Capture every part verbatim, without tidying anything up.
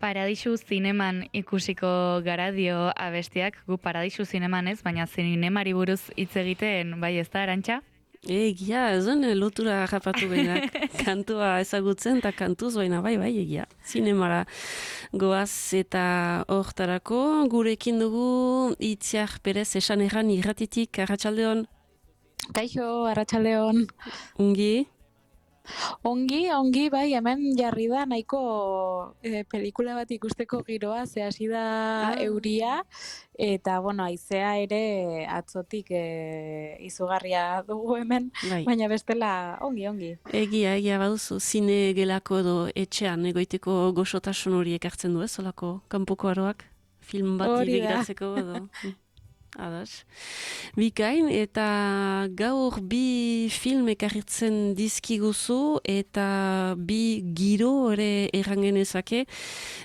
Paradisu zineman ikusiko gara dio abestiak, gu Paradisu zineman ez, baina zinemari buruz hitz egiten, bai ez da, Arantxa? Egia, ez den lotura rapatu behinak, kantua ezagutzen eta kantuz baina bai, bai, egia. Zinemara goaz eta hortarako gurekin dugu Itziar Perez esan erran irratitik, arratsaldeon. Kaixo, arratsaldeon. Ungi? Ongi, ongi, bai, hemen jarri da nahiko e, pelikula bat ikusteko giroa, ze hasi da Ah. euria, eta, bueno, haizea ere atzotik e, izugarria dugu hemen, Bai. baina bestela ongi, ongi. Egia, egia baduzu, zine gelako edo etxean egoiteko goxotasun hori ekartzen du ez, olako kanpoko aroak, film bat Hori da. begiratzeko edo. Adas. Bikain, eta gaur bi film ekarritzen dizkiguzu eta bi giro ere errangenezake.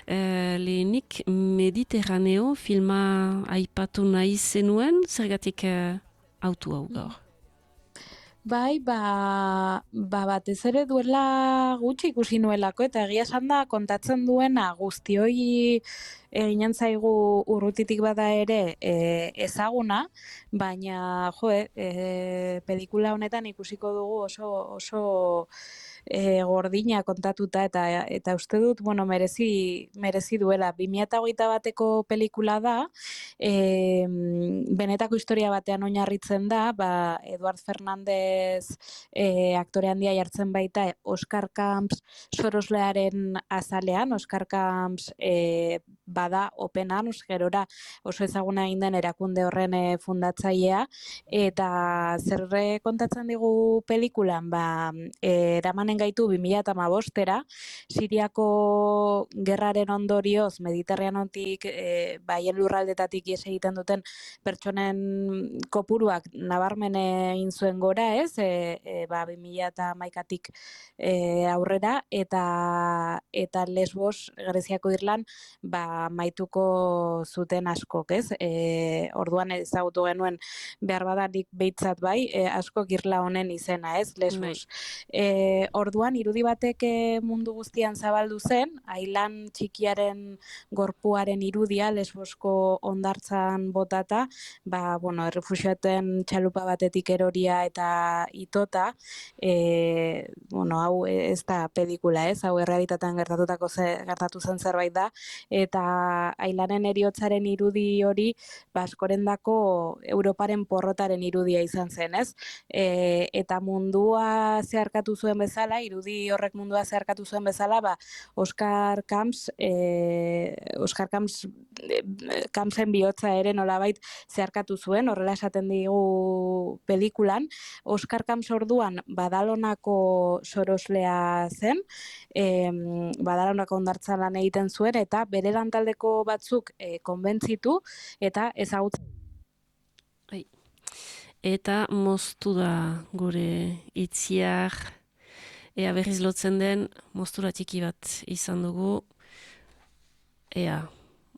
E, lehenik Mediterraneo filma aipatu nahi zenuen, zergatik e, autu hau gaur. Bai, ba, ba batez ere duela gutxi ikusi nuelako, eta egia esan da kontatzen duena guztioi eginen zaigu urrutitik bada ere e, ezaguna, baina jo, e, pelikula honetan ikusiko dugu oso oso e, gordina kontatuta eta eta uste dut, bueno, merezi merezi duela. bi mila hogeita bateko pelikula da, e, benetako historia batean oinarritzen da, ba Eduard Fernandez E, aktore handia jartzen baita Oscar Camps soroslearen azalean. Oscar Camps e, bada Open Arms, gerora oso ezaguna egin den erakunde horren e, fundatzailea, eta zer kontatzen digu pelikulan, ba, e, eramanen gaitu bi mila hamabostera, Siriako gerraren ondorioz Mediterraneotik e, baien lurraldetatik ihes egiten duten pertsonen kopuruak nabarmen egin zuen gora, ez, e, e, ba, bi mila hamaikatik e, aurrera, eta eta Lesbos, Greziako irlan, ba, maituko zuten askok, ez? E, orduan ezagutu genuen behar badanik behitzat bai, e, askok irla honen izena, ez? Lesbos. E, orduan, irudi batek mundu guztian zabaldu zen, ailan txikiaren gorpuaren irudia, Lesbosko hondartzan botata, ba, bueno, errefuxiaten txalupa batetik eroria eta itota, e, bueno, hau ez da pelikula, ez, hau errealitatean gertatutako ze, gertatu zen zerbait da, eta ailanen heriotzaren irudi hori, ba, askorendako Europaren porrotaren irudia izan zen, ez, e, eta mundua zeharkatu zuen bezala, irudi horrek mundua zeharkatu zuen bezala, ba, Oscar Camps, e, Oscar Camps, e, Campsen bihotza ere nolabait zeharkatu zuen, horrela esaten digu pelikulan. Oscar Camps orduan Badalonako soroslea zen, e, Badalonako hondartzan lan egiten zuen, eta bere lantaldeko batzuk e, konbentzitu eta ezagutzen. Bai. Eta moztu da gure Itziar, ea berriz lotzen den, moztura txiki bat izan dugu, ea,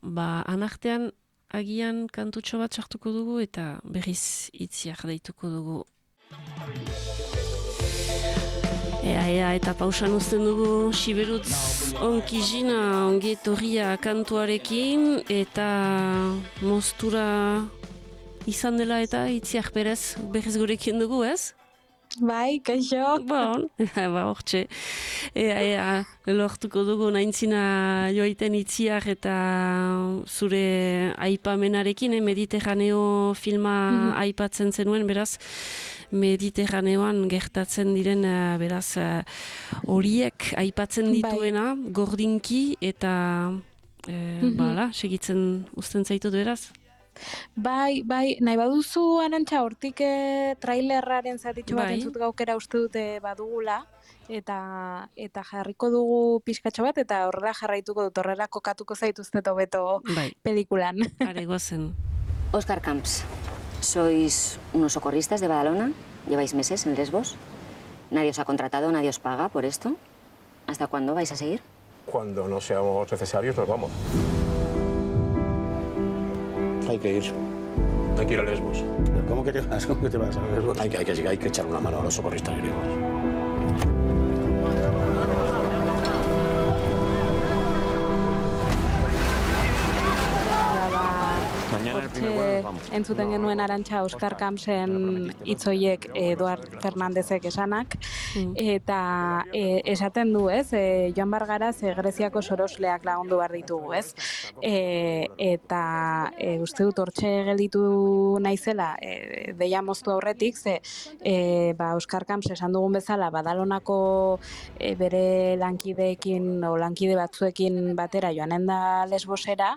ba, anartean agian kantutxo bat sartuko dugu eta berriz Itziar deituko dugu. Ea, ea, eta pausan uzten dugu Siberutz onkizina ongi etorria kantuarekin eta moztura izan dela eta Itziar Perez berriz gurekin dugu, ez? Bai, kaixo. Bon, ba, hortxe. Ea, ea, lortuko dugu naintzina joaiten Itziar eta zure aipamenarekin, eh, Mediterraneo filma mm-hmm. aipatzen zenuen, beraz, Mediterraneoan gertatzen diren, uh, beraz, horiek uh, aipatzen dituena, bai. Gordinki, eta, uh, mm-hmm. bala, segitzen uzten zaitut beraz? Bai, bai, nahi baduzu Arantxa hortik e, trailerraren zatitxo bat bai. Entzut gaukera uste dute badugula, eta eta jarriko dugu pixkatxo bat, eta horrela jarraituko dut, horrela kokatuko zaituztet hobeto bai. Pelikulan. Are gozen. Oscar Camps, sois unos socorristas de Badalona, lleváis meses en Lesbos, nadie os ha contratado, nadie os paga por esto. ¿Hasta cuándo vais a seguir? Cuando no seamos necesarios nos vamos. Hay que ir. Hay que ir a Lesbos. ¿Cómo que te vas? ¿Cómo que te vas a Lesbos? Hay que, hay que, hay que echar una mano a los socorristas griegos. entzuten genuen Arantxa Oskar Kamsen hitzoiek Eduard Fernandezek esanak, eta e, esaten du, ez, e, joan bargaraz e, Greziako sorosleak lagundu behar ditugu, ez, e, eta e, uste dut hortxe gelditu naizela, e, deia moztu aurretik, ze e, ba, Oskar Kams esan dugun bezala, Badalonako e, bere lankideekin o lankide batzuekin batera joanen da Lesbosera,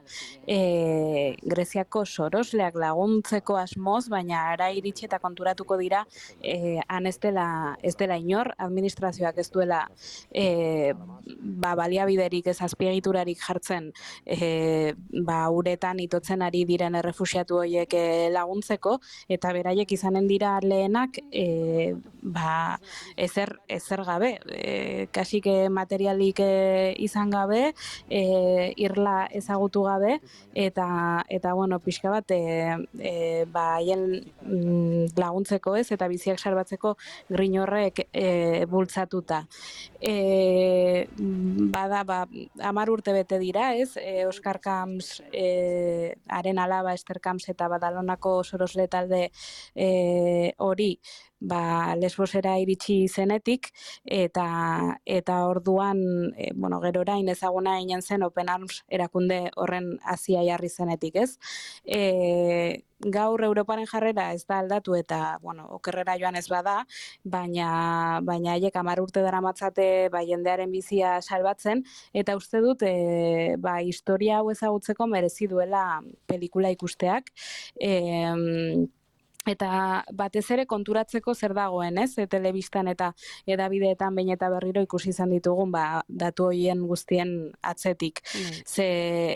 e, Greziako sorosleak laguntzeko asmoz, baina ara iritsi eta konturatuko dira e, han ez dela, ez dela inor, administrazioak ez duela e, ba, baliabiderik ez azpiegiturarik jartzen e, ba, uretan itotzen ari diren errefuxiatu horiek e, laguntzeko, eta beraiek izanen dira lehenak e, ba, ezer, ezer gabe, e, kasik materialik e, izan gabe, e, irla ezagutu gabe, eta, eta bueno, pixka bat, e, e, ba, haien laguntzeko ez, eta biziak salbatzeko grin horrek e, bultzatuta. E, bada, ba, hamar urte bete dira, ez, e, Oskar Kams, e, haren alaba Ester Kams eta Badalonako sorosle talde e, hori, ba, Lesbosera iritsi zenetik, eta eta orduan, e, bueno, gero orain ezaguna ginen zen Open Arms erakunde horren hasia jarri zenetik, ez? E, gaur Europaren jarrera ez da aldatu eta, bueno, okerrera joan ez bada, baina baina haiek hamar urte daramatzate ba jendearen bizia salbatzen, eta uste dut e, ba, historia hau ezagutzeko merezi duela pelikula ikusteak. E, Eta batez ere konturatzeko zer dagoen, ez? E, telebistan eta edabideetan behin eta berriro ikusi izan ditugun, ba, datu horien guztien atzetik. Mm. Ze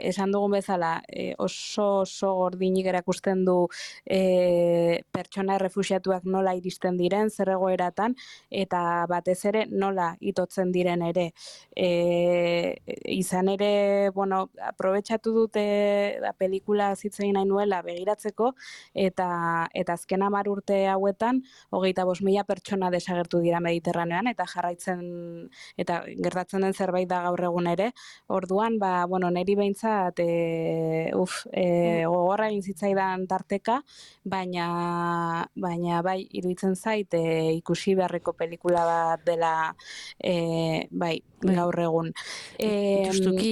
esan dugun bezala, e, oso oso gordinik erakusten du e, pertsona errefuxiatuak nola iristen diren, zer egoeratan, eta batez ere nola itotzen diren ere. E, izan ere, bueno, aprobetxatu dute da, pelikula zitzein nahi nuela begiratzeko, eta eta azken hamar urte hauetan, hogeita bost mila pertsona desagertu dira Mediterranean, eta jarraitzen, eta gertatzen den zerbait da gaur egun ere. Orduan, ba, bueno, niri behintzat, e, uf, e, gogorra egin zitzaidan tarteka, baina, baina bai, iruditzen zait, e, ikusi beharreko pelikula bat dela, e, bai, gaur egun. E,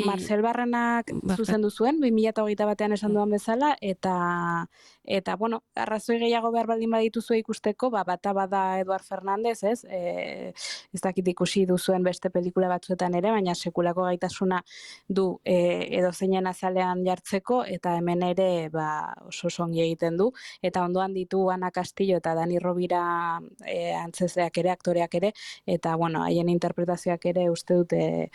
Marcel Barrenak zuzendu zuen, bi mila hogeita batean esan duan bezala, eta, eta bueno, arrazoi gehiago behar baldin badituzu ikusteko, ba, bata bada Eduard Fernandez, ez? E, ez dakit ikusi duzuen beste pelikula batzuetan ere, baina sekulako gaitasuna du e, edo zeinen azalean jartzeko, eta hemen ere ba, oso songi egiten du, eta ondoan ditu Ana Castillo eta Dani Rovira e, antzezeak ere, aktoreak ere, eta bueno, haien interpretazioak ere uste dute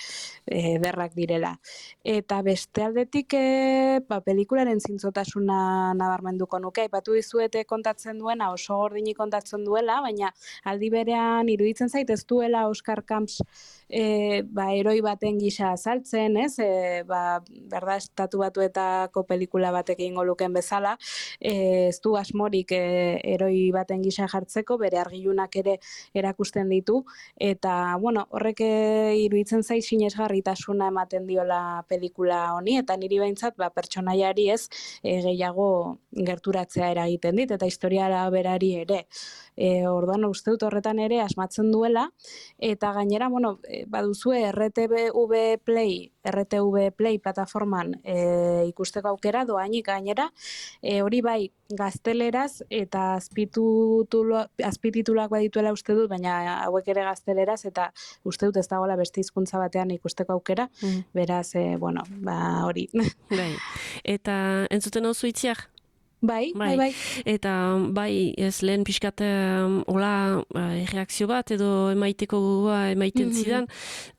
e, derrak direla. Eta beste aldetik e, ba, pelikularen zintzotasuna nabarmenduko nuke, aipatu dizuete kontatzen duena, oso gordini kontatzen duela, baina aldi berean iruditzen zait ez duela Oskar Kams e, ba, eroi baten gisa azaltzen, ez? E, ba, berda, estatu batuetako pelikula batek egingo luken bezala, e, ez du asmorik e, eroi baten gisa jartzeko, bere argilunak ere erakusten ditu, eta bueno, horrek iruditzen zait sinesgarritasuna ematen diola pelikula honi, eta niri behintzat ba, pertsonaiari ez e, gehiago gerturatzea eragiten dit, eta historiara berari ere. E, orduan uste dut horretan ere asmatzen duela, eta gainera, bueno, baduzue R T B Play, R T V Play plataforman e, ikusteko aukera, doainik gainera, e, hori bai gazteleraz eta azpitituluak badituela uste dut, baina hauek ere gazteleraz, eta uste dut ez dagoela beste hizkuntza batean ikusteko aukera, mm. beraz, e, bueno, ba hori. Bai. Eta entzuten hau zuitziak? Bai, bai, bai. Eta bai, ez lehen pixkat um, hola uh, reakzio bat edo emaiteko gogoa emaiten mm-hmm. zidan,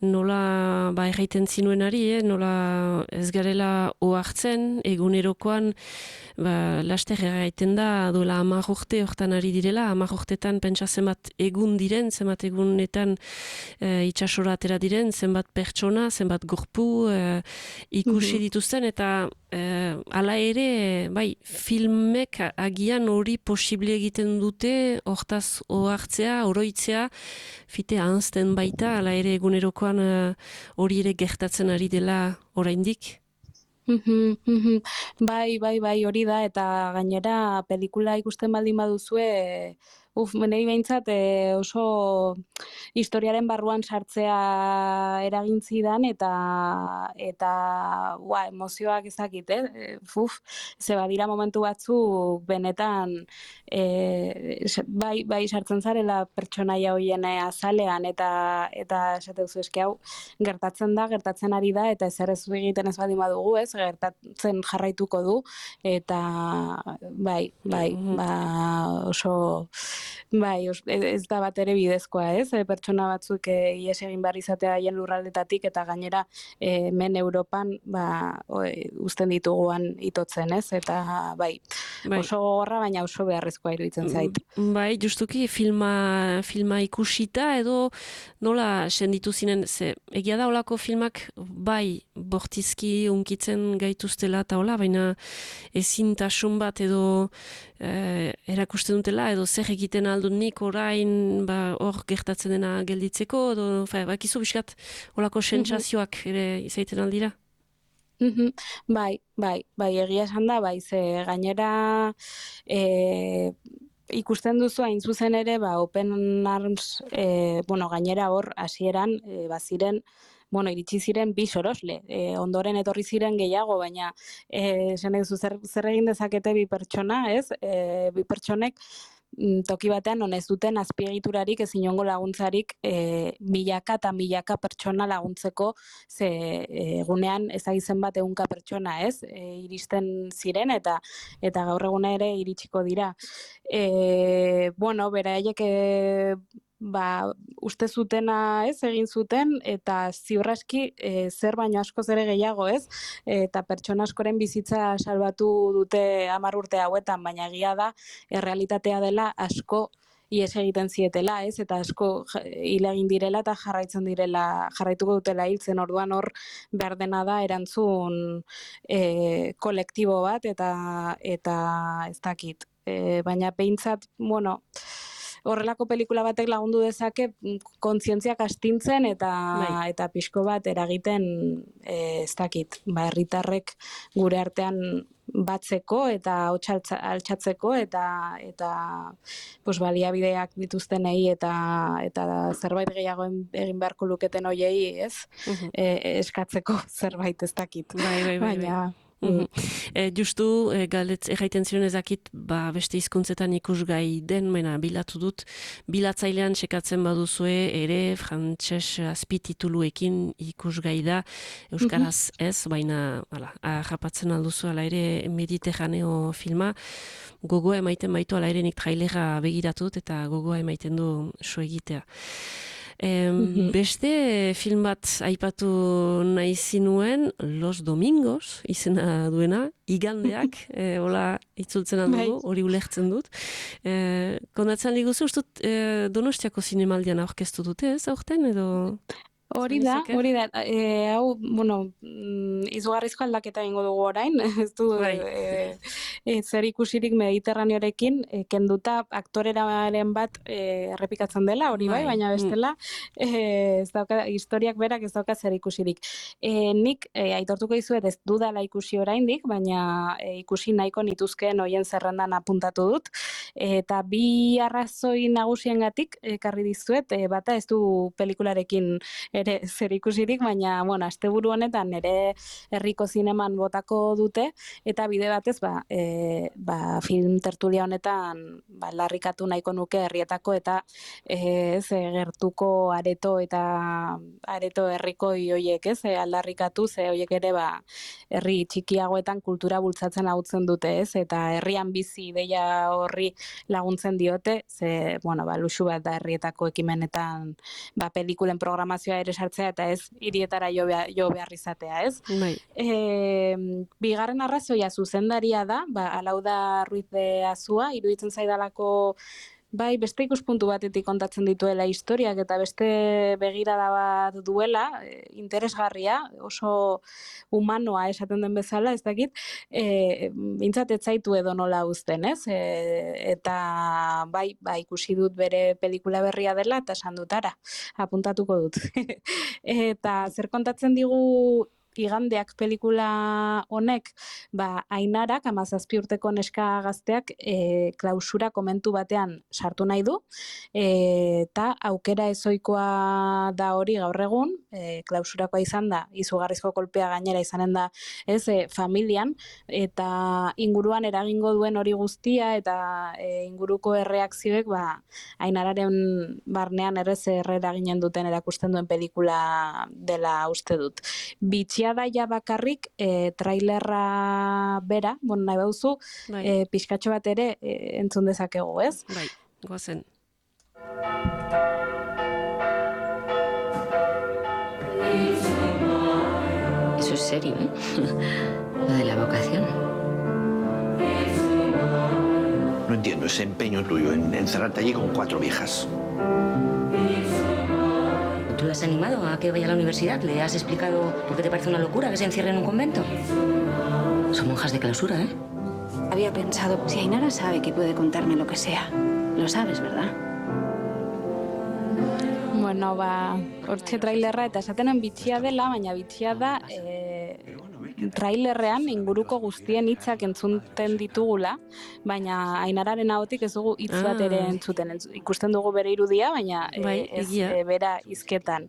nola ba, erraiten zinuenari, eh? Nola ez garela ohartzen, egunerokoan ba, laster erraiten da, duela hamar urte hortan ari direla, hamar urtetan pentsa zenbat egun diren, zenbat egunetan uh, itxasora atera diren, zenbat pertsona, zenbat gorpu uh, ikusi mm-hmm. dituzten, eta uh, ala ere, bai, film Mek agian hori posible egiten dute, hortaz ohartzea, oroitzea, fite ahazten baita, ala ere egunerokoan hori uh, ere gertatzen ari dela oraindik? Mhm, mhm. Bai, bai, bai, hori da, eta gainera pelikula ikusten baldin baduzue, uf, menei behintzat e, oso historiaren barruan sartzea eragin zidan, eta, eta ua, emozioak ezakit, eh? E, Uf, ze badira momentu batzuk benetan e, bai, bai sartzen zarela pertsonaia hoien azalean, eta, eta esateuzu eske hau, gertatzen da, gertatzen ari da, eta ezer ez egiten ez baldin badugu, ez, gertatzen jarraituko du, eta bai, bai, Mhm. ba, oso, bai, os, ez da bat ere bidezkoa, ez, e, pertsona batzuk e, ihes egin behar izatea haien lurraldetatik, eta gainera e, hemen Europan, ba, o, e, uzten dituguan itotzen, ez, eta bai, Bai. oso gogorra, baina oso beharrezkoa iruditzen zait. Bai, justuki filma, filma ikusita edo nola senditu zinen, ze egia da olako filmak bai bortizki unkitzen gaituztela eta hola, baina ezintasun bat edo eh, erakusten dutela edo zer egiten aldun nik orain ba, hor gertatzen dena gelditzeko edo fa, bakizu biskat olako sentsazioak ere izaiten aldira. Mhm. Bai, bai, bai, egia esan da, bai, ze gainera e, ikusten duzu hain zuzen ere, ba, Open Arms, e, bueno, gainera hor, hasieran e, baziren, bueno, iritsi ziren bi sorosle, e, ondoren etorri ziren gehiago, baina e, esan duzu zer, zer egin dezakete bi pertsona, ez? E, bi pertsonek toki batean non ez duten azpiegiturarik ez inongo laguntzarik e, milaka eta milaka pertsona laguntzeko, ze egunean ezagizen bat ehunka pertsona, ez, e, iristen ziren eta eta gaur eguna ere iritsiko dira. E, bueno, beraiek e, ba, uste zutena, ez, egin zuten, eta ziurraski e, zer baino askoz ere gehiago, ez, eta pertsona askoren bizitza salbatu dute hamar urte hauetan, baina egia da, errealitatea dela asko ihes egiten zietela, ez, eta asko hil egin direla eta jarraitzen direla, jarraituko dutela hiltzen, orduan hor behar dena da erantzun e, kolektibo bat, eta, eta ez dakit. E, baina behintzat, bueno, horrelako pelikula batek lagundu dezake kontzientziak astintzen eta Bai. eta pixko bat eragiten e, ez dakit, ba, herritarrek gure artean batzeko eta hotz altxatzeko eta eta pues baliabideak dituztenei eta eta zerbait gehiago egin beharko luketen hoiei, ez? Mhm. E, eskatzeko zerbait ez dakit. Bai, bai, bai, Baina Mhm. E, justu, e, galdet erraiten ziren ezakit, ba, beste hizkuntzetan ikusgai den, mena, bilatu dut, bilatzailean sekatzen baduzue, ere, frantses azpitituluekin ikusgai da, euskaraz ez, baina, ala, japatzen alduzu, ala ere, Mediterraneo filma, gogoa emaiten baitu, ala ere, nik trailera begiratu dut, eta gogoa emaiten du so egitea. Em, beste film bat aipatu nahi zinuen, Los Domingos, izena duena, igandeak, e, hola itzultzen handugu, hori ulertzen dut. E, kondatzen liguzu, ustut, e, Donostiako zinemaldian aurkeztu dute, ez aurten, edo... Hori da, hori da, e, hau, bueno, izugarrizko aldaketa egingo dugu orain, ez du e, e, zer ikusirik Mediterraneorekin, e, kenduta aktoreraren bat e, errepikatzen dela, hori bai, baina bestela, e, ez dauka, historiak berak ez dauka zer ikusirik. E, nik e, aitortuko dizuet ez dudala ikusi oraindik, baina e, ikusi nahiko nituzkeen hoien zerrendan apuntatu dut, eta bi arrazoi nagusiengatik ekarri dizuet, e, bata ez du pelikularekin ere zer ikusirik, baina, bueno, asteburu honetan ere herriko zineman botako dute, eta bide batez, ba, e, ba, film tertulia honetan, ba, larrikatu nahiko nuke herrietako, eta e, ze gertuko areto eta areto herriko hoiek, ez, e, aldarrikatu, ze hoiek ere, ba, herri txikiagoetan kultura bultzatzen laguntzen dute, ez, eta herrian bizi ideia horri laguntzen diote, ze, bueno, ba, luxu bat da herrietako ekimenetan, ba, pelikulen programazioa ere sartzea eta ez hirietara jo behar, jo behar izatea, ez? Bai. E, bigarren arrazoia zuzendaria da, ba, Alauda Ruiz de Azua, iruditzen zaidalako bai, beste ikuspuntu batetik kontatzen dituela historiak eta beste begirada bat duela, interesgarria, oso humanoa esaten den bezala, ez dakit, e, bintzat ez zaitu edo nola uzten, ez? E, eta bai, bai, ikusi dut bere pelikula berria dela eta esan dut ara, apuntatuko dut. Eta zer kontatzen digu igandeak pelikula honek, ba, Ainarak, hamazazpi urteko neska gazteak, e, klausura komentu batean sartu nahi du, e, eta aukera ezoikoa da hori gaur egun, e, klausurakoa izan da, izugarrizko kolpea gainera izanen da, ez, e, familian, eta inguruan eragingo duen hori guztia, eta e, inguruko erreakzioek, ba, Ainararen barnean errez errera ginen duten erakusten duen pelikula dela uste dut. Bitxia da ja bakarrik e, trailerra bera, bon, nahi bauzu, Bai. e, pixkatxo bat ere e, entzun dezakegu, ez? Bai, goazen. Eso es serio, ¿eh? Lo de la vocación. No entiendo ese empeño tuyo en encerrarte allí con cuatro viejas. ¿Tú le has animado a que vaya a la universidad? ¿Le has explicado por qué te parece una locura que se encierre en un convento? Son monjas de clausura, ¿eh? Había pensado, si Ainara sabe que puede contarme lo que sea, lo sabes, ¿verdad? Bueno, ba, hortxe trailerra, eta esatenan bitxia dela, baina bitxia da e, trailerrean inguruko guztien hitzak entzunten ditugula, baina Ainararen ahotik ez dugu hitz bat ere entzuten. Entz- Ikusten dugu bere irudia, baina e, Bai, ez egia. e, bera hizketan.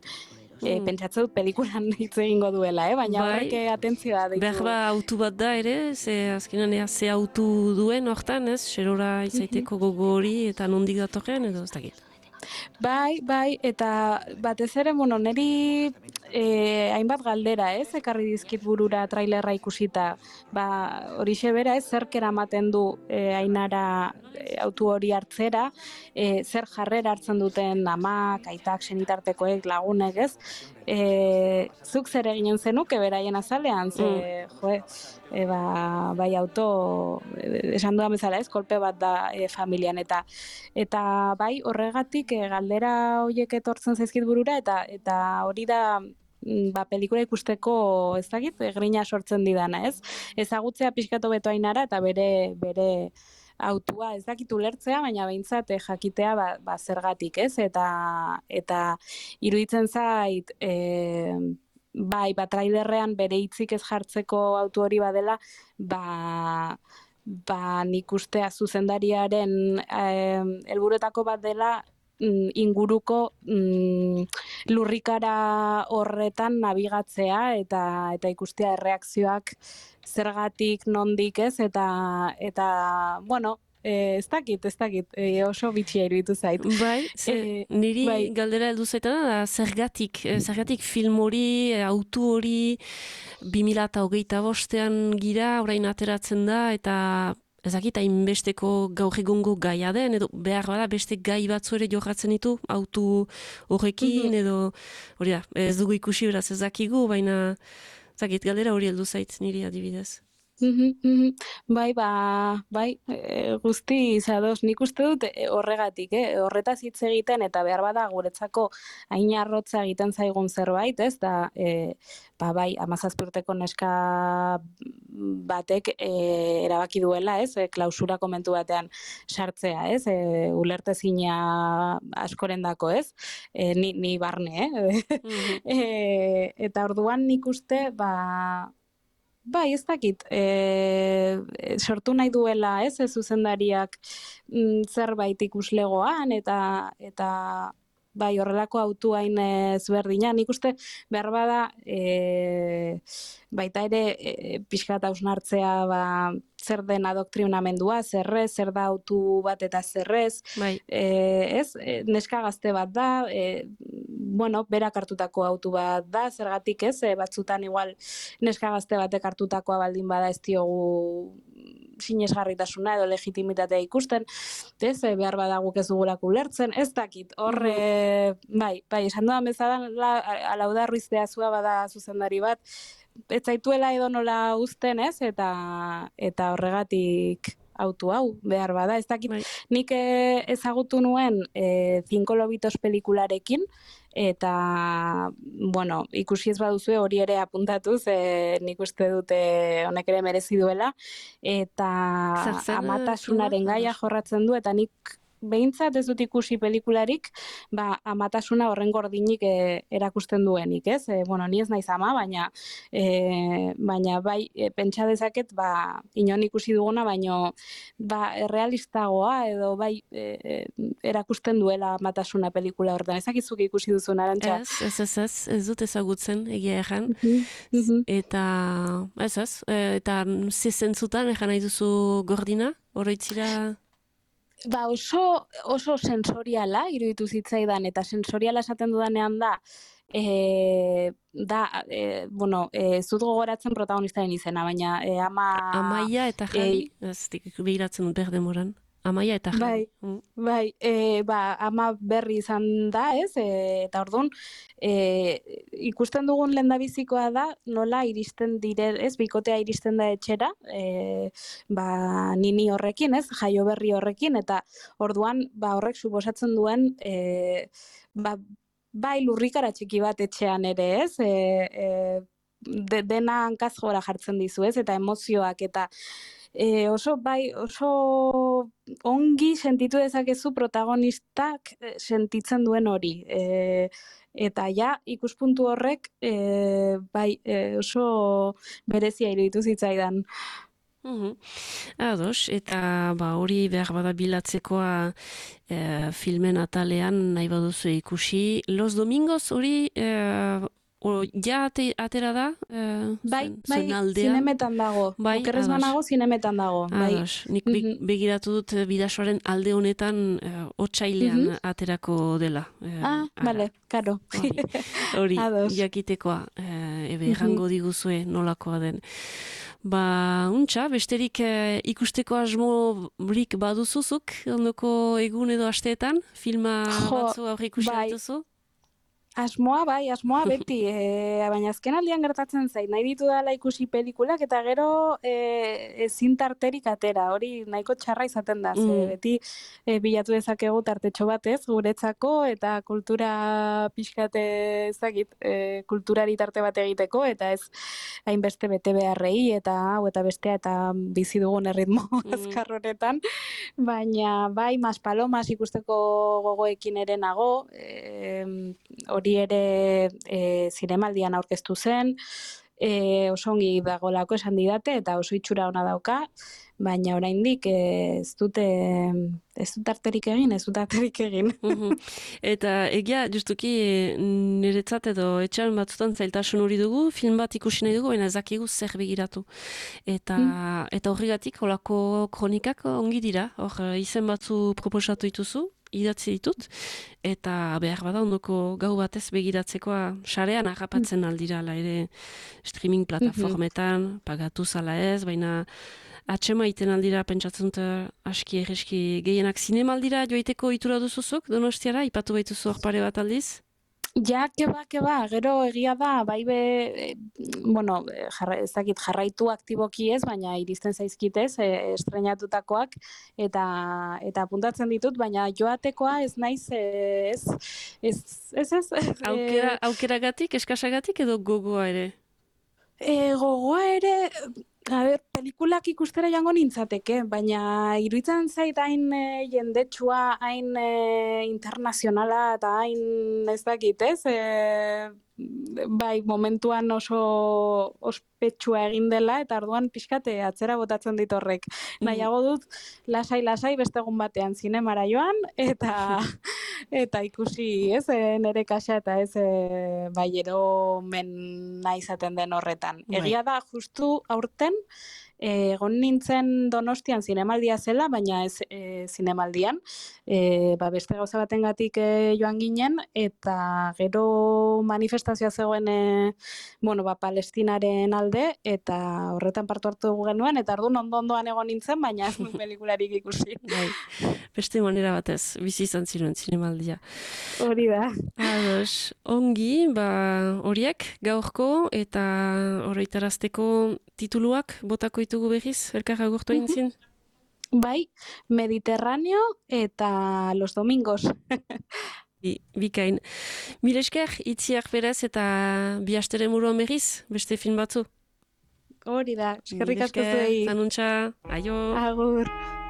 E, Mm. Pentsatzen dut pelikulan hitz egingo duela, eh? baina Bai. horrek atentzioa deitu. Behar ba autu bat da ere, ze azkenan ea ze autu duen hortan, ez? Xerora izaiteko gogo hori eta nondik datorren edo ez dakit. Bai, bai, eta batez ere, bueno, niri eh, hainbat galdera, ez, ekarri dizkit burura trailerra ikusita. Ba, horixe bera, ez, zerk eramaten du eh, Ainara eh, autu hori hartzera, eh, zer jarrera hartzen duten amak, aitak, senitartekoek, lagunek, ez? E, zuk zer eginen zenuke beraien azalean, ze, jo, e, ba, bai auto, e, esan dudan bezala ez, kolpe bat da e, familian, eta eta bai horregatik e, galdera horiek etortzen zaizkit burura, eta eta hori da mm, ba, pelikula ikusteko, ez dakit, e, grina sortzen didana, ez? Ezagutzea pixkatu beto Ainara, eta bere, bere autua ez dakit ulertzea, baina behintzat eh, jakitea ba, ba zergatik, ez? Eta eta iruditzen zait e, bai, ba trailerrean bere hitzik ez jartzeko autu hori badela, ba ba nik ustea zuzendariaren eh, helburuetako bat dela mm, inguruko mm, lurrikara horretan nabigatzea eta eta ikustea erreakzioak zergatik, nondik, ez, eta, eta bueno, e, ez dakit, ez dakit, e, oso bitxia iruditu zait. Bai, ze, Eh, niri bai. galdera heldu zaitana da zergatik, eh, zergatik film hori, eh, autu hori, bi mila hogeita bostean gira, orain ateratzen da, eta ezakit hainbesteko gaur egungo gaia den, edo behar bada beste gai batzu ere jorratzen ditu, autu horrekin, edo hori da, ez dugu ikusi beraz ez dakigu, baina ezakit galdera hori heldu zait niri adibidez. Mhm, mhm. Bai, ba, bai, e, guzti zadoz, nik uste dut e, horregatik, eh? Horretaz hitz egiten eta behar bada guretzako hain arrotza egiten zaigun zerbait, ez? Da, e, ba, bai, hamazazpi urteko neska batek e, erabaki duela, ez? E, klausura komentu batean sartzea, ez? E, ulertezina askorendako, ez? E, ni, ni barne, eh? Mhm. e, eta orduan nik uste, ba, bai, ez dakit, e, sortu nahi duela, ez, ez zuzendariak mm, zerbait ikuslegoan, eta eta bai, horrelako autu hain ezberdina. Nik uste behar bada e, baita ere e, pixka eta hausnartzea ba, zer den adoktrinamendua, zerrez, zer da autu bat eta zerrez, Bai. e, ez, e, neska gazte bat da, e, bueno, berak hartutako autu bat da, zergatik ez, e, batzutan igual neska gazte batek hartutakoa baldin bada ez diogu sinesgarritasuna edo legitimitatea ikusten, ez, e, behar bada guk ez dugulako ulertzen, ez dakit, hor, e, bai, bai, esan dudan bezala, Alauda Ruiz de Azua bada zuzendari bat, ez zaituela edo nola uzten, ez, eta, eta horregatik autu hau, behar bada, ez dakit, Bai. nik eh, ezagutu nuen eh, Cinco Lobitos pelikularekin, eta, bueno, ikusi ez baduzue hori ere apuntatuz, eh, nik uste dute honek ere merezi duela, eta Zer zen, amatasunaren filma? gaia jorratzen du, eta nik behintzat ez dut ikusi pelikularik, ba, amatasuna horren gordinik e, erakusten duenik, ez? E, bueno, ni ez naiz ama, baina, e, baina bai, e, pentsa dezaket, ba, inon ikusi duguna, baino, ba, errealistagoa edo bai e, erakusten duela amatasuna pelikula horretan. Ezakizuk ikusi duzu, Arantxa? Ez, ez, ez, ez, ez dut ezagutzen, egia erran. Eta, ez ez, eta zezentzutan, erran nahi duzu Gordina, oroitzira... Ba oso, oso sensoriala iruditu zitzaidan, eta sensoriala esaten dudanean da, e, da, e, bueno, ez dut gogoratzen protagonistaren izena, baina e, ama... Amaia eta Jani, e, ez dik behiratzen dut berdemoran. Amaia eta Jani. Bai, mm. bai, e, ba, ama berri izan da, ez, e, eta orduan, e, ikusten dugun lehendabizikoa da, nola iristen dire, ez, bikotea iristen da etxera, e, ba, nini horrekin, ez, jaio berri horrekin, eta orduan, ba, horrek suposatzen duen, e, ba, bai lurrikara txiki bat etxean ere, ez, e, e, de, dena hankaz gora jartzen dizu, ez, eta emozioak, eta E, oso bai, oso ongi sentitu dezakezu protagonistak sentitzen duen hori. E, eta ja, ikuspuntu horrek e, bai, e, oso berezia iruditu zitzaidan. Uhum. Ados, eta ba, hori behar bada bilatzekoa e, filmen atalean nahi baduzu ikusi. Los Domingos hori... E, O, ja ate, atera da? Eh, bai, zen, bai, zinemetan dago. Bai, Okerrez banago, zinemetan dago. Ados, bai. nik be, begiratu dut bidasoaren alde honetan eh, otsailean mm -hmm. aterako dela. Eh, ah, bale, karo. Hori, jakitekoa, eh, ebe errango diguzue nolakoa den. Ba, untxa, besterik eh, ikusteko asmorik baduzuzuk, ondoko egun edo asteetan, filma jo, batzu aurre ikusi bai. Dituzu? Asmoa, bai, asmoa beti, e, baina azken aldian gertatzen zait, nahi ditu dala ikusi pelikulak, eta gero e, ezin tarterik atera, hori nahiko txarra izaten da, mm. ze, beti e, bilatu dezakegu tartetxo batez, guretzako, eta kultura pixkate ezagit, e, kulturari tarte bat egiteko, eta ez hainbeste bete beharrei, eta hau eta bestea, eta bizi dugun erritmo mm. azkar honetan, baina bai, Maspalomas ikusteko gogoekin ere nago, e, hori hori ere e, zinemaldian aurkeztu zen, e, oso ongi dagolako esan didate, eta oso itxura ona dauka, baina oraindik ez dute ez dut arterik egin, ez dut arterik egin. Eta egia, justuki niretzat edo etxan batzutan zailtasun hori dugu, film bat ikusi nahi dugu, baina ezakigu zer begiratu. Eta, mm. eta horregatik, holako kronikak ongi dira, hor izen batzu proposatu dituzu, idatzi ditut, eta behar bada ondoko gau batez begiratzekoa sarean harrapatzen aldira, la ere streaming plataformetan, mm-hmm. pagatu zala ez, baina atxema iten aldira, pentsatzen dut aski erreski gehienak zinemaldira joiteko itura duzuzuk, Donostiara, ipatu baituzu hor pare bat aldiz? Ja, keba, keba, gero egia da, bai be, e, bueno, jarra, ez dakit jarraitu aktiboki ez, baina iristen zaizkitez, e, estrenatutakoak, eta eta apuntatzen ditut, baina joatekoa ez naiz, e, ez, ez, ez, ez. Aukera, aukeragatik, eskasagatik edo gogoa ere? E, gogoa ere... A ber, pelikulak ikustera jango nintzateke, baina iruditzen zait hain e, jendetsua, hain e, internazionala eta hain ez dakit, ez? E, bai, momentuan oso ospetsua egin dela, eta orduan pixkate atzera botatzen dit horrek. Mm. Nahiago dut, lasai-lasai beste egun batean zinemara joan, eta eta ikusi, ez, e, nere kaxa eta ez e, bai eromen nahi izaten den horretan. Bai. Egia da, justu aurten, egon nintzen Donostian zinemaldia zela, baina ez e, zinemaldian, e, ba, beste gauza batengatik e, joan ginen, eta gero manifestazioa zegoen e, bueno, ba, Palestinaren alde, eta horretan partu hartu dugu genuen, eta orduan ondo-ondoan egon nintzen, baina ez pelikularik ikusi. Bai. Beste manera batez, bizi izan ziren zinemaldia. Hori da. Ados, ongi, ba, horiek gaurko, eta oroitarazteko tituluak botako ditugu behiz, elkar agurtu egin zin? Bai, Mediterráneo eta Los Domingos. Bi, bikain. Mil esker, itziak beraz eta bi astere muruan behiz, beste film batzu? Hori da, eskerrik asko zuei. Zanuntza, aio. Agur.